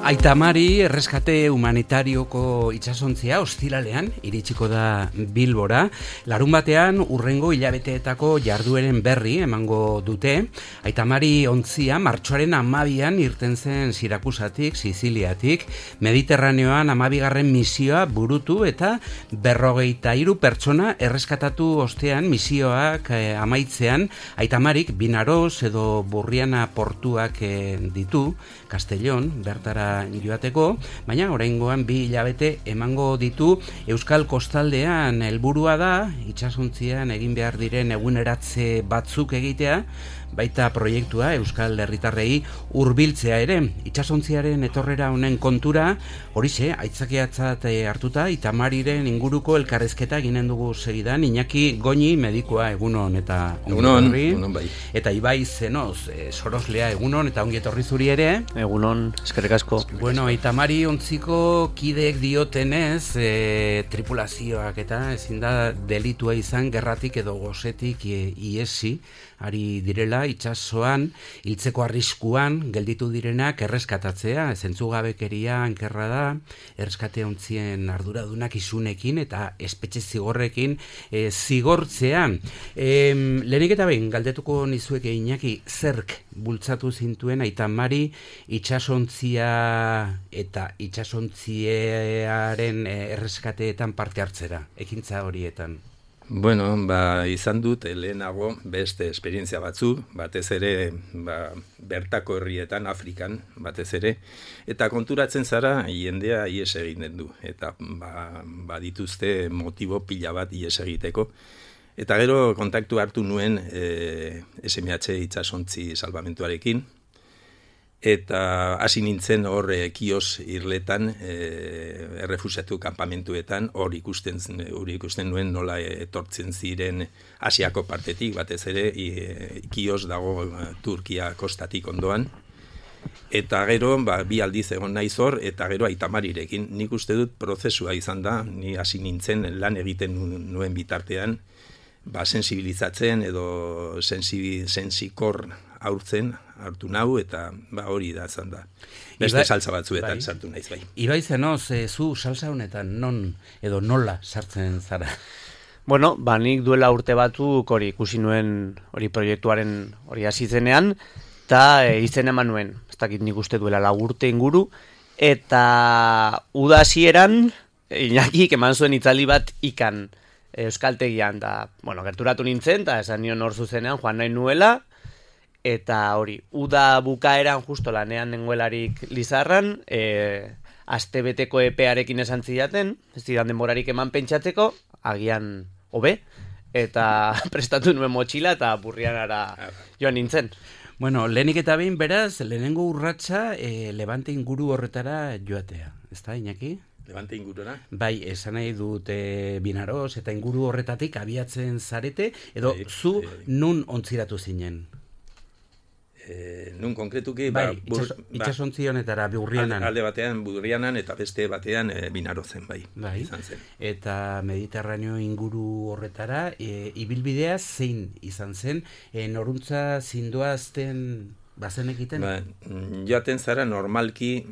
Aita Mari erreskate humanitarioko itsasontzia ostiralean iritsiko da Bilbora. Larunbatean urrengo hilabeteetako jardueren berri emango dute. Aita Mari ontzia martxoaren 12an irten zen Sirakusatik, Siziliatik, Mediterraneoan 12. misioa burutu eta 43 pertsona erreskatatu ostean misioak amaitzean Aita Marik Binaros edo Burriana portuak ditu, Castellón, bertara joateko, baina oraingoan 2 hilabete emango ditu. Euskal kostaldean helburua da itsasontzian egin behar diren eguneratze batzuk egitea, baita proiektua Euskal Herritarrei hurbiltzea ere. Itsasontziaren etorrera honen kontura, horixe, aitzakiatzat hartuta, Aita Mariren inguruko elkarrezketa eginen dugu segidan. Iñaki Goñi, medikua, egunon eta egunon bai. Eta Ibai Zenoz, soroslea, egunon eta ongi etorri zuri ere. Egunon, eskerrik asko. Bueno, Aita Mari ontziko kideek diotenez, tripulazioak eta ezin da delitua izan gerratik edo gosetik iesi ari direla itsasoan, hiltzeko arriskuan gelditu direnak erreskatatzea, zentzugabekeria ankerra da, erreskate ontzien arduradunak isunekin eta espetxe zigorrekin zigortzea. Lehenik eta behin, galdetuko nizueke Iñaki, zerk bultzatu zintuen Aita Mari itsasontzia eta itsasontziaren erreskateetan parte hartzera, ekintza horietan? Bueno, izan dut lehenago beste esperientzia batzu, batez ere bertako herrietan, Afrikan, batez ere, eta konturatzen zara jendea ies egiten du, eta dituzte motibo pila bat ies egiteko. Eta gero kontaktu hartu nuen SMH itsasontzi salbamentuarekin, eta hasi nintzen hor kios irletan, errefusiatu kanpamentuetan, hor ikusten nuen nola etortzen ziren Asiako partetik, batez ere, kios dago Turkia kostatik ondoan, eta gero, 2 aldiz egon naiz hor, eta gero Aita Marirekin. Nik uste dut prozesua izan da, ni hasi nintzen lan egiten nuen bitartean, sensibilizatzen edo sensikor hartu nau, eta hori da izan da. Beste salsa batzuetan sartu naiz bai. Ibai Zenoz, zu salsa honetan non edo nola sartzen zara? Bueno, nik duela urte batzuk hori ikusi nuen hori proiektuaren hori hasi zenean, eta izen eman nuen, ez dakit nik uste duela 4 urte inguru, eta uda hasieran Iñakik eman zuen itzaldi bat ikan euskaltegian, eta gerturatu nintzen, eta esan nion hor zuzenean joan nahi nuela, eta hori, uda bukaeran justo lanean nengoelarik Lizarran, astebeteko epearekin esan zidaten, ez zidan denborarik eman pentsatzeko, agian hobe, eta prestatu nuen motxila eta Burrianara joan nintzen. Bueno, lehenik eta behin beraz, lehenengo urratsa Levante inguru horretara joatea, ez da, Iñaki? Levante ingurura? Bai, esan nahi dut Binaros eta inguru horretatik abiatzen zarete, edo zu nun ontziratu zinen? Nun konkretuki itsasontzi honetara Burrianan. Alde batean Burrianan eta beste batean Binarozen bai. Izan zen. Eta Mediterraneo inguru horretara ibilbidea zein izan zen, noruntza zindoazten bazen egiten? Joaten zara normalki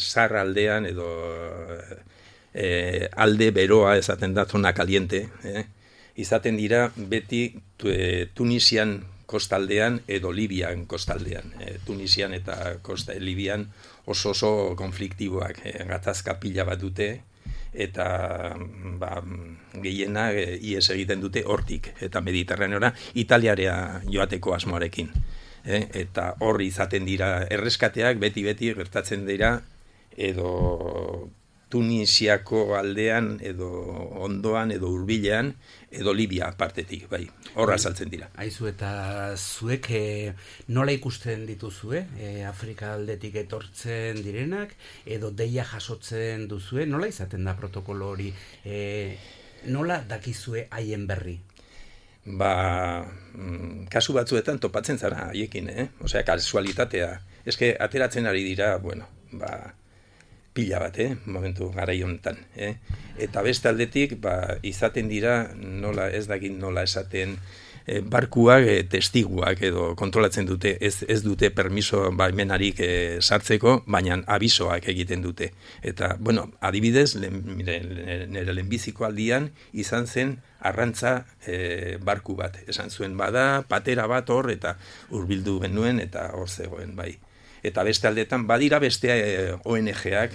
zar aldean edo alde beroa esaten da, zona kaliente, izaten dira beti Tunisian kostaldean edo Libian kostaldean. Tunisian eta Libian oso konfliktiboak, gatazka pila bat dute, eta gehiena ies egiten dute hortik, eta Mediterraneora Italiara joateko asmoarekin. Eta horri izaten dira erreskateak, beti gertatzen dira, edo Tunisiako aldean, edo ondoan, edo hurbilean, edo Libia partetik, bai, horra saltzen dira. Aizu, eta zuek nola ikusten dituzue, Afrika aldetik etortzen direnak, edo deia jasotzen duzue, nola izaten da protokolo hori, nola dakizue haien berri? Kasu batzuetan topatzen zara haiekin, osea, kasualitatea, eske ateratzen ari dira, pila bat, momentu garai honetan. Eta beste aldetik, izaten dira, ez dakit nola esaten, barkuak testiguak edo kontrolatzen dute, ez dute permiso baimenarik sartzeko, baina abisoak egiten dute. Eta, bueno, adibidez, nire lehenbiziko aldian izan zen arrantza barku bat. Esan zuen bada, patera bat hor, eta hurbildu genuen, eta hor zegoen, bai. Eta beste aldetan, badira beste ONG-ak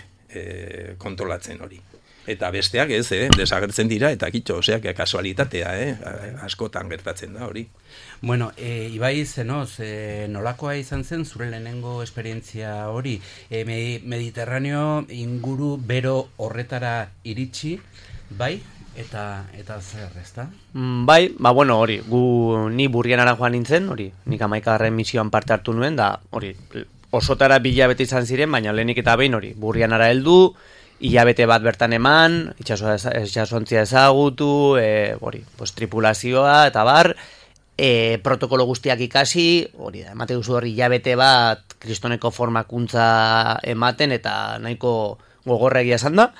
kontrolatzen hori. Eta besteak ez, desagertzen dira, eta kitxo, oseak kasualitatea, askotan gertatzen da hori. Bueno, Ibai Zenoz, nolakoa izan zen zure lehenengo esperientzia hori? Mediterraneo inguru bero horretara iritsi, bai? Eta zer, ezta? Bai, bueno, hori, ni Burrianara joan nintzen, hori, nik 11. misioan parte hartu nuen, da, hori, osotara bilabete izan ziren, baina lehenik eta behin hori, Burrianara heldu, hilabete bat bertan eman, itxasontzia ezagutu, hori, pues, tripulazioa, eta bar, protokolo guztiak ikasi, hori da, emate duzu hori hilabete bat kristoneko formakuntza ematen, eta nahiko gogorregia esan da,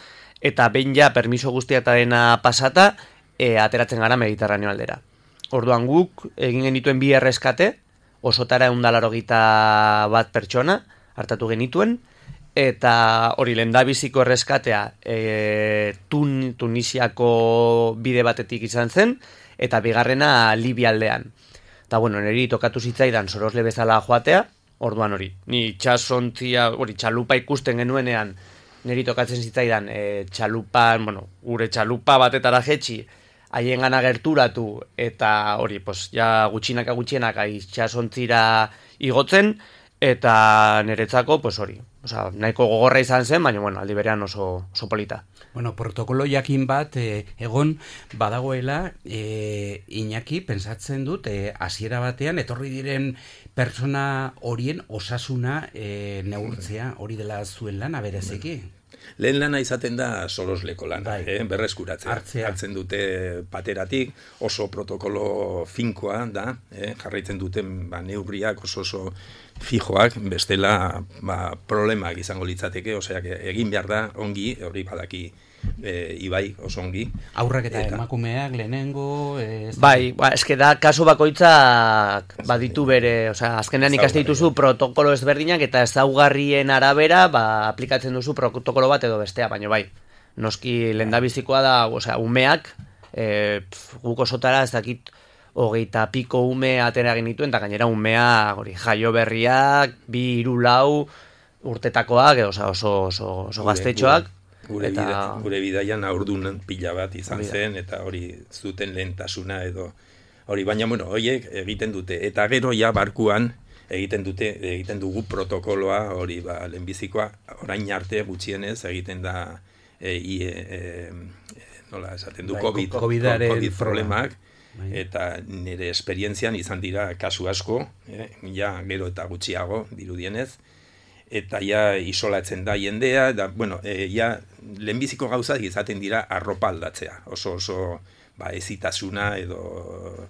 eta behin ja permiso guztiatarena pasata, ateratzen gara Mediterraneo aldera. Orduan guk, egin genituen 2 erreskate, osotara 181 pertsona, hartatu genituen, eta hori lehendabiziko erreskatea Tunisiako bide batetik izan zen, eta bigarrena Libia aldean. Eta bueno, niri tokatu zitzaidan sorosle bezala joatea, orduan hori, ni itxasontzia, hori txalupa ikusten genuenean, niri tokatzen zitzaidan txalupan, bueno, gure txalupa batetara jetxi, haien gana gerturatu, eta hori, pues, ja gutxinaka itxasontzira igotzen, eta niretzako, pues hori, nahiko gogorra izan zen, baina, bueno, aldi berean oso polita. Bueno, protokolo jakin bat, egon badagoela, Iñaki, pensatzen dut, hasiera batean, etorri diren pertsona horien osasuna neurtzea, hori dela zuen lana bereziki. Lehen lana izaten da solosleko lana, berreskuratzea. Hartzen dute pateratik, oso protokolo finkoa da, jarraitzen duten neurriak oso fijoak, bestela problemak izango litzateke, osea, egin behar da ongi, hori badaki Ibai oso ongi. Aurrak eta emakumeak lehenengo... Bai, eske da, kasu bakoitzak baditu bere, osea, azkenean ikaste dituzu protokolo ezberdinak eta ezaugarrien arabera, aplikatzen duzu protokolo bat edo bestea, baina bai, noski lehendabizikoa da, osea, umeak, guk osotara ez dakit 20 piko ume atera genituen, eta gainera umea hori jaio berriak, 2, 3, 4 urtetakoak, oso gaztetxoak. Gure bidaian haurdun pila bat izan zen, eta hori zuten lehentasuna edo hori, baina, bueno, horiek egiten dute, eta gero ja barkuan egiten dugu protokoloa, hori, lehenbizikoa, orain arte gutxienez egiten da nola esaten du, COVID problemak, eta nire esperientzian izan dira kasu asko, ja gero eta gutxiago dirudienez, eta ja isolatzen da jendea, da, bueno, ja lehenbiziko gauzak izaten dira arropa aldatzea, oso ezitasuna edo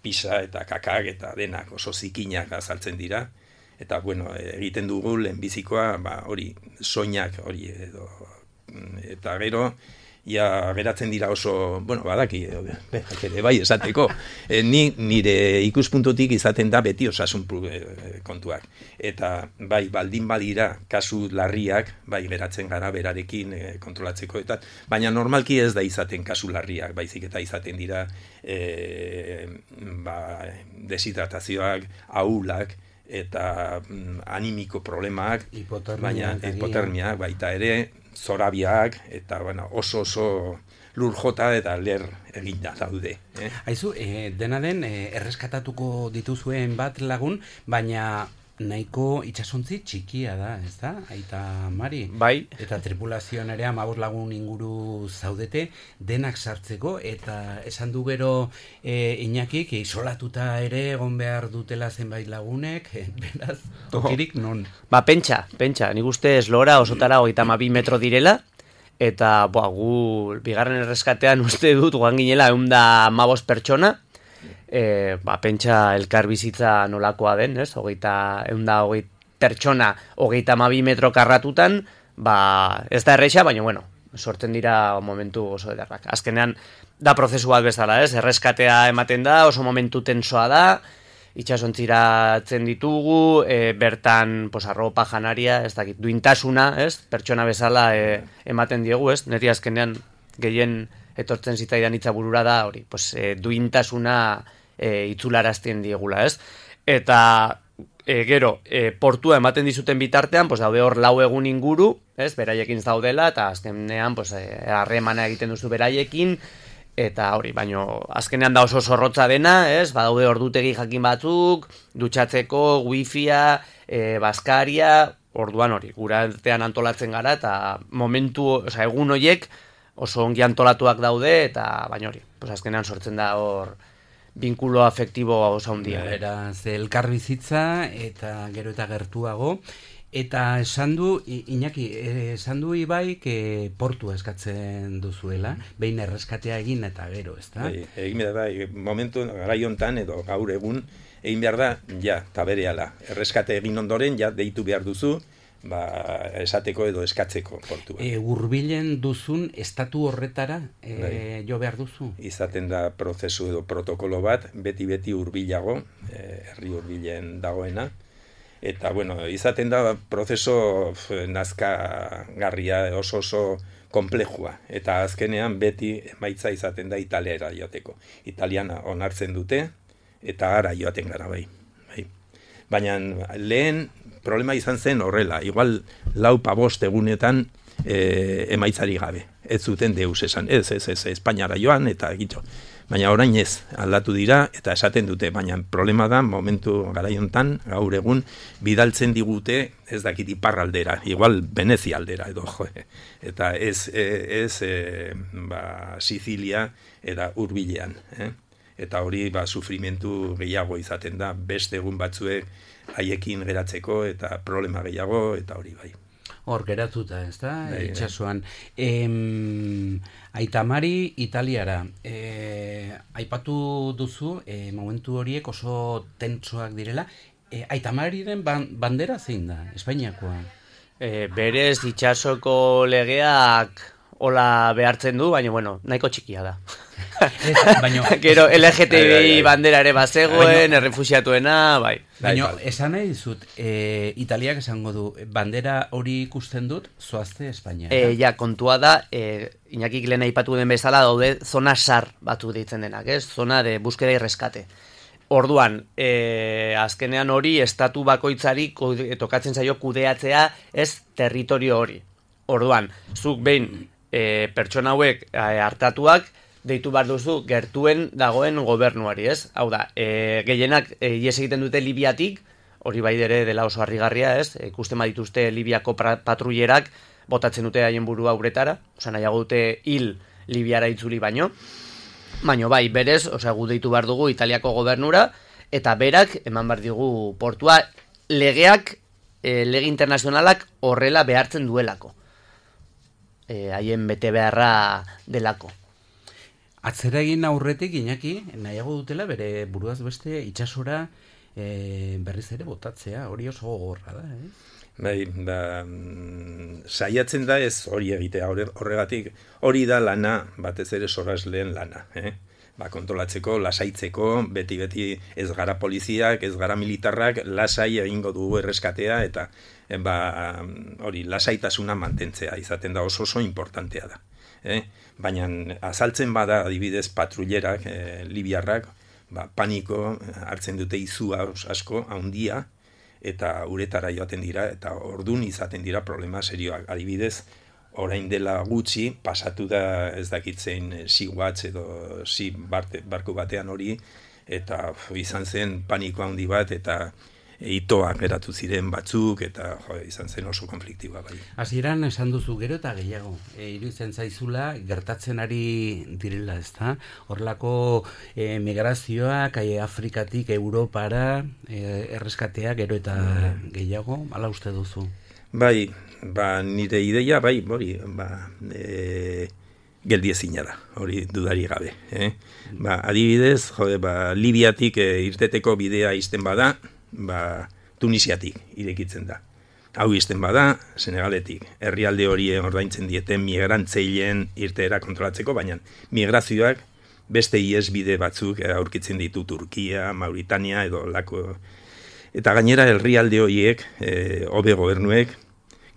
pisa eta kakak eta denak oso zikinak azaltzen dira, eta bueno, egiten dugu lehenbizikoa hori soinak hori edo, eta gero ja geratzen dira oso, bueno, badaki, bai esateko, nire ikuspuntutik izaten da beti osasun kontuak. Eta bai, baldin badira kasu larriak, bai geratzen gara berarekin kontrolatzeko, eta baina normalki ez da izaten kasu larriak, baizik eta izaten dira deshidratazioak, ahulak, eta animiko problemak, baina hipotermiak, baita ere, zorabiak, eta bueno, oso lur jota eta ler eginda daude. Aizu, dena den, erreskatatuko dituzuen bat lagun, baina nahiko itxasontzi txikia da, ez da? Aita Mari. Bai. Eta tripulazioan ere 15 lagun inguru zaudete, denak sartzeko, eta esan du gero Iñakik, isolatuta ere egon behar dutela zenbait lagunek, beraz, tokirik non? Pentsa, nik uste eslora osotara 32 metro direla, eta gu bigarren erreskatean uste dut guan ginela 115 pertsona, pentsa elkar bizitza nolakoa den, ez? 120 pertsona 32 metro karratutan, ez da erreixa, baina bueno, sortzen dira momentu oso ederrak. Azkenean, da prozesu bat bezala, ez? Erreskatea ematen da, oso momentu tensoa da, itxasontziratzen ditugu, bertan arropa janaria, ez dakit, duintasuna, ez? Pertsona bezala ematen diegu, ez? Neri azkenean gehien etortzen zitzaidan hitza burura da, hori, duintasuna itzularazten diegula, ez? Eta gero, portua ematen dizuten bitartean, daude hor 4 egun inguru, ez? Beraiekin daudela, eta azkenean harremana egiten duzu beraiekin, eta hori, baino azkenean da oso zorrotza dena, ez? Badaude ordutegi jakin batzuk, dutxatzeko, wifia, baskaria, orduan hori, gura artean antolatzen gara, eta momentu, egun horiek oso ongi antolatuak daude, eta baina hori, azkenean sortzen da hor binkulo afektibo oso handia. Beraz, elkarbizitza eta gero eta gertuago, eta esan du, Iñaki, esan du Ibai, portu eskatzen duzuela, behin erreskatea egin eta gero, ez da? Egin behar da, momentu garaiontan edo gaur egun, egin behar da, ja, eta berehala. Erreskate egin ondoren, ja, deitu behar duzu, esateko edo eskatzeko portua. Hurbilen duzun estatu horretara jo behar duzu? Izaten da prozesu edo protokolo bat, beti hurbilago, herri hurbilen dagoena, eta, izaten da prozeso nazkagarria oso komplejua, eta azkenean beti emaitza izaten da italiara joateko. Italiana onartzen dute, eta ara joaten gara bai. Baina lehen problema izan zen horrela, igual 4-5 egunetan emaitzari gabe. Ez zuten deus esan, ez, Espainiara joan, eta gitxo. Baina orain ez, aldatu dira, eta esaten dute, baina problema da, momentu garaiontan, gaur egun, bidaltzen digute, ez dakit iparraldera, igual Venezia aldera, edo, eta ez Sizilia, eta hurbilean, eta hori sufrimentu gehiago izaten da, beste egun batzuek haiekin geratzeko eta problema gehiago eta hori bai. Hor geratuta, ez da, itxasuan. Aitamari Italiara, aipatu duzu, momentu horiek oso tentsoak direla, Aitamariren bandera zein da, Espainiakoa? Berez itxasoko legeak hola behartzen du, baina, nahiko txikia da. Gero LGTBI bandera ere bazegoen, errefuxiatuena, bai. Baina, esan nahi dizut, Italiak esango du, bandera hori ikusten dut, zoazte Espainia. Ja, kontua da, Iñakik lehen aipatu den bezala daude, zona sar batu deitzen denak, ez? Zona de búsqueda y rescate. Orduan, azkenean hori, estatu bakoitzari tokatzen zaio kudeatzea, ez territorio hori. Orduan, zuk behin pertsona hauek hartatuak, deitu behar duzu gertuen dagoen gobernuari, ez? Hau da, gehienak ies egiten dute Libiatik, hori bai ere dela oso harrigarria, ez? Ikusten badituzte Libiako patrullerak botatzen dute haien burua uretara, nahiago dute hil Libiara itzuli baino. Baina bai, berez, gu deitu behar dugu Italiako gobernura, eta berak eman behar digu portua legeak, lege internazionalak horrela behartzen duelako. Haien bete beharra delako. Atzera egin aurretik, Iñaki, nahiago dutela bere buruaz beste itxasora berriz ere botatzea, hori oso gogorra da, Bai, saiatzen da ez hori egitea, horregatik hori da lana, batez ere sorrasleen lana, kontrolatzeko, lasaitzeko, beti ez gara poliziak, ez gara militarrak, lasai egingo dugu erreskatea, eta hori lasaitasuna mantentzea, izaten da oso importantea da. Baina azaltzen bada adibidez patrullerak, libiarrak, paniko hartzen dute izua asko, handia, eta uretara joaten dira, eta ordun izaten dira problema serioak. Adibidez, orain dela gutxi, pasatu da ez dakitzen Sea-Watch edo barku batean hori, eta izan zen paniko handi bat, eta itoak geratu ziren batzuk, eta izan zen oso konfliktiba bai. Hasieran esan duzu gero eta gehiago, iruditzen zaizula gertatzen ari direla, ezta? Horrelako migrazioak Afrikatik Europara erreskatea gero eta gehiago, hala uste duzu? Bai, nire ideia, bai, geldiezina da, hori dudari gabe. Adibidez, Libiatik irteteko bidea izten bada, Tunisiatik irekitzen da. Hau izten bada, Senegaletik. Herrialde horien ordaintzen dieten migrantzeilen irteera kontrolatzeko, baina migrazioak beste iesbide batzuk aurkitzen ditu Turkia, Mauritania edo lako. Eta gainera herrialde horiek, hobe gobernuek,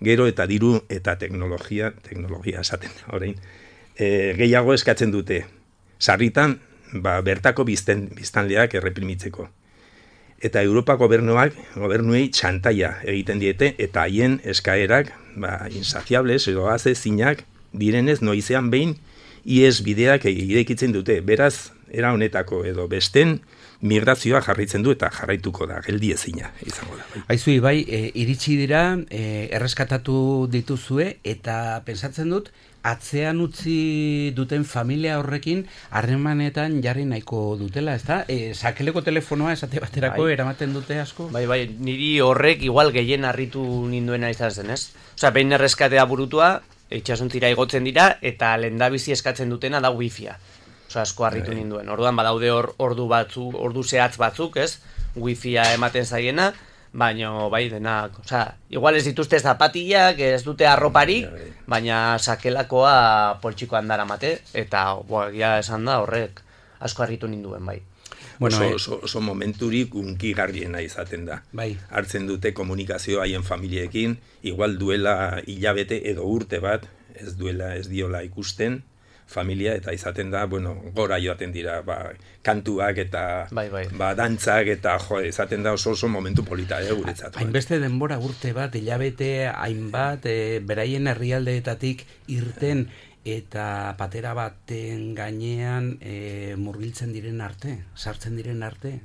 gero eta diru eta teknologia esaten orain, gehiago eskatzen dute. Sarritan, bertako biztanleak erreprimitzeko. Eta Europa gobernuei txantaia egiten diete, eta haien eskaerak, insaciables edo azezinak direnez noizean behin ies bideak irekitzen dute. Beraz, era honetako edo besten migrazioa jarraitzen du eta jarraituko da, geldiezina izango da. Aizu, Ibai, iritsi dira, erreskatatu dituzue, eta pensatzen dut, atzean utzi duten familia horrekin harremanetan jarri nahiko dutela, ezta? Sakeleko telefonoa esate baterako eramaten dute asko? Bai, niri horrek igual gehien harritu ninduena izan zen, ez? Osea, behin erreskatea burutua, itxasontzira igotzen dira, eta lehendabizi eskatzen dutena da wifia. Osa, asko harritu ninduen. Orduan badaude ordu zehatz batzuk, ez? Wifia ematen zaiena, baina bai denak, osa, igual ez dituzte zapatillak, ez dute arroparik, baina sakelakoa poltsikoan daramate, eta ja esan da horrek asko harritu ninduen, bai. Bueno, oso momenturik unkigarriena izaten da. Bai. Hartzen dute komunikazio haien familiekin, igual duela hilabete edo urte bat, ez diola ikusten, familia, eta izaten da, gora joaten dira, kantuak eta dantzak, eta izaten da oso momentu polita, guretzat. Hainbeste denbora urte bat, hilabete hainbat, beraien herrialdeetatik irten, eta patera baten gainean murgiltzen diren arte, sartzen diren arte.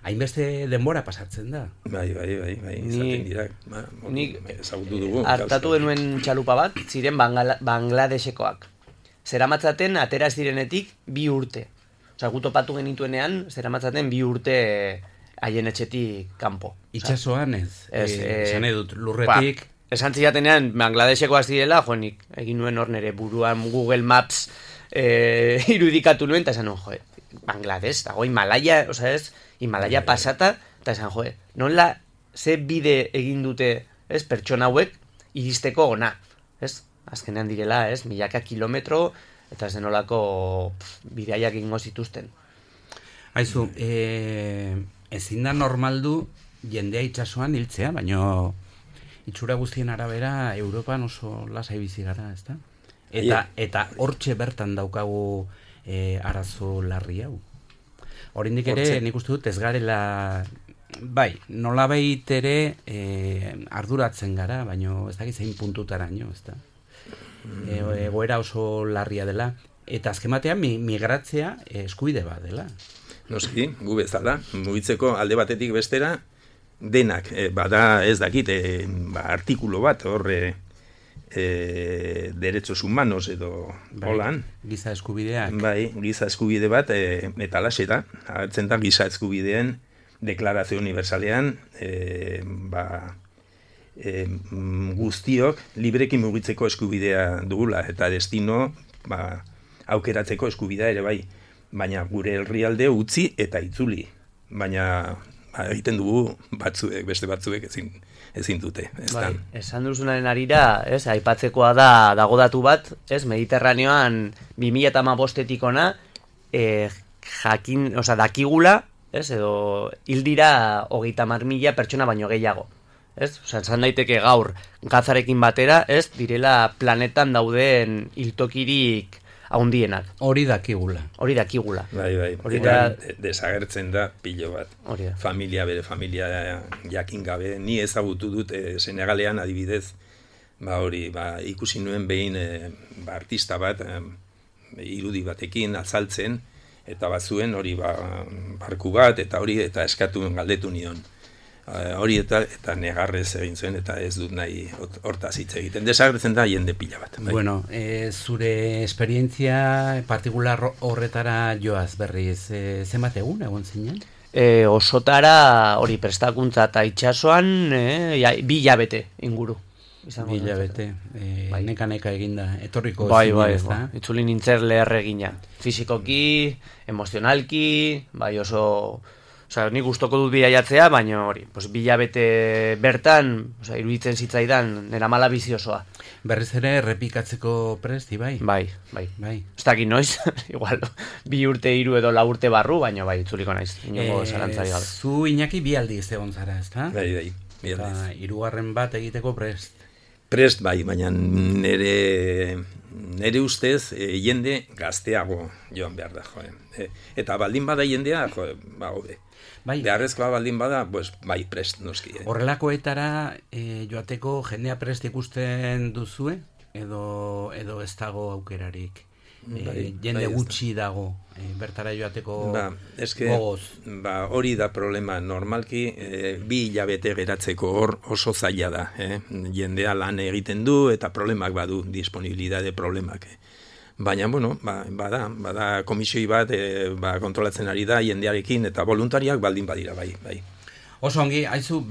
Hainbeste denbora pasatzen da. Bai, izaten dira. Nik hartatu denuen txalupa bat, ziren Bangladesekoak. Zeramatzaten atera zirenetik 2 urte. Osa, gu topatu genituenean, zeramatzaten 2 urte haien etxetik kanpo. Itxasoan ez? Esan edut, lurretik... Esan zidatenean, Bangladesekoak zirela, joanik, egin nuen hor nere buruan Google Maps irudikatu nuen, eta esan nuen, Bangladesh, dago Himalaya, osa ez, Himalaya pasata, eta esan, nola ze bide egin dute, ez, pertsona hauek, iristeko ona, ez? Azkenean direla, ez, milaka kilometro, eta zenolako bidaiak egingo zituzten. Aizu, ezin da normaldu jendea itxasoan hiltzea, baino itxura guztien arabera Europan oso lasai bizi gara, ezta? Eta hortxe bertan daukagu arazo larri hau. Oraindik ere, nik uste dut ez garela, bai, nolabait ere arduratzen gara, baino ez dakit zein puntutaraino, ezta? Egoera oso larria dela, eta azken batean migratzea eskubide bat dela. Noski, gu bezala, mugitzeko alde batetik bestera, denak, bada ez dakit, artikulo bat, horre, derechos humanos edo holan. Giza eskubideak. Bai, giza eskubide bat, eta laxe da, hartzen da giza eskubideen deklarazio universalean, guztiok libreki mugitzeko eskubidea dugula, eta destino aukeratzeko eskubidea ere bai, baina gure herrialde utzi eta itzuli, baina egiten dugu batzuek, beste batzuek ezin dute. Bai, esan duzunaren arira, ez, aipatzekoa dago datu bat, ez, Mediterraneoan 2015-etik ona, dakigula, ez, edo hildira 30.000 pertsona baino gehiago. Ez? Osa, esan daiteke gaur Gazarekin batera, ez, direla planetan dauden hiltokirik haundienak. Hori dakigula. Bai. Desagertzen da pilo bat. Bere familia jakin gabe. Ni ezagutu dut Senegalean adibidez, ikusi nuen behin artista bat irudi batekin azaltzen, eta bazuen hori barku bat, eta hori eta eskatu galdetu nion. Hori eta negarrez egin zuen, eta ez dut nahi hortaz hitz egiten. Desagertzen da jende pila bat. Bai. Bueno, zure esperientzia partikular horretara joaz berriz, zenbat egun egon zinen? Osotara hori prestakuntza eta itxasoan 2 hilabete inguru. 2 hilabete, neka eginda, etorriko zinen, ez da? Itzuli nintzen leher egina. Fizikoki, emozionalki, bai oso Osea, nik gustoko dut bilaiatzea, baina hori, pues, bilabete bertan, osea, iruditzen zitzaidan, nera mala biziosoa. Berriz ere errepikatzeko prest, Ibai? Bai. Ez dakit noiz, igual, 2 urte, 3 edo 4 urte barru, baina bai, itzuliko naiz, inongo zalantzari gabe. Zu Iñaki bi aldiz egon zara, ezta? Bai, bi aldiz. 3. bat egiteko prest. Prest bai, baina nere ustez jende gazteago joan behar da, eta baldin bada jendea, hobe. Bai. Beharrezkoa baldin bada, pues, bai, prest noski. Horrelakoetara joateko jendea prest ikusten duzue? Edo ez dago aukerarik? Jende gutxi dago bertara joateko gogoz? Hori da problema. Normalki 2 hilabete geratzeko hor oso zaila da. Jendea lan egiten du eta problemak badu, disponibilidade problemak. Baina, bada komisioi bat kontrolatzen ari da jendearekin eta voluntariak baldin badira, bai. Oso ongi, haizu,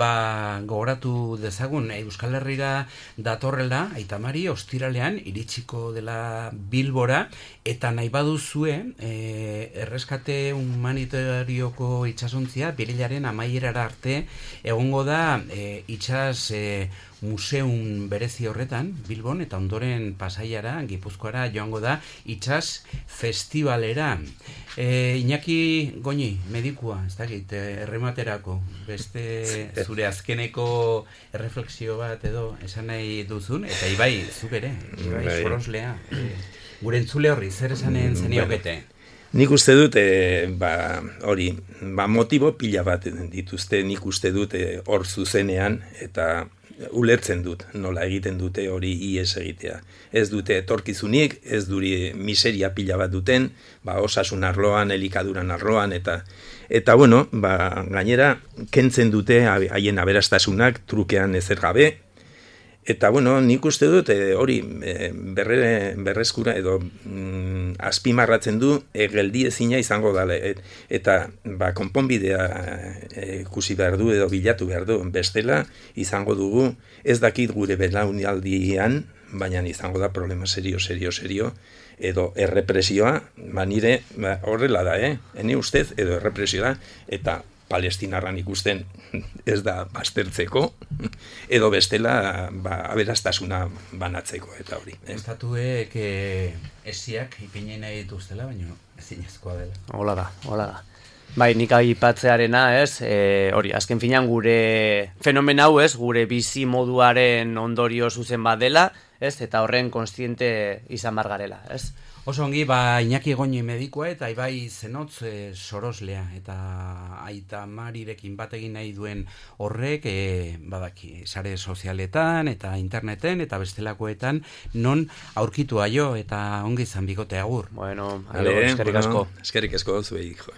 gogoratu dezagun, Euskal Herrira datorrela, Aita Mari, ostiralean, iritsiko dela Bilbora, eta nahi baduzue, erreskate humanitarioko itsasontzia, birilaren amaierara arte, egongo da itsas museum berezi horretan, Bilbon, eta ondoren Pasaiara, Gipuzkoara, joango da, itsas festivalera. Iñaki Goñi, medikua, ez dakit, errematerako, beste zure azkeneko erreflexio bat edo esan nahi duzun, eta Ibai, zuk ere, Ibai Soroslea, gure entzule horri, zer esanen zeniokete? Nik uste dut, hori, motibo pila bat dituzte, nik uste dut hor zuzenean, eta ulertzen dut, nola egiten dute hori ies egitea. Ez dute etorkizunik, ez duri miseria pila bat duten, osasun arloan, elikaduran arloan, eta bueno, gainera, kentzen dute haien aberastasunak trukean ezer gabe, eta bueno, nik uste dut hori berreskura edo azpimarratzen du geldiezina izango dela, eta konponbidea ikusi behar du edo bilatu behar du, bestela izango dugu, ez dakit gure belaunaldian, baina izango da problema serio, edo errepresioa, nire horrela da, ene ustez, edo errepresioa, eta palestinarran ikusten ez da baztertzeko, edo bestela aberastasuna banatzeko, eta hori. Estatuek esiak ipinen nahi dituztela, baina ezinezkoa dela. Hola da. Bai, nik aipatzearena, hori, azken finan gure fenomen hau, gure bizi moduaren ondorio zuzen bat dela, eta horren kontziente izan bar garela, Oso ongi, Iñaki Goñi medikua eta Ibai Zenotz Soroslea, eta Aita Marirekin bat egin nahi duen horrek, badaki, sare sozialetan eta interneten eta bestelakoetan non aurkitu aio eta ongi izan bikote agur. Bueno, eskerrik asko. Eskerrik asko zuei, jo.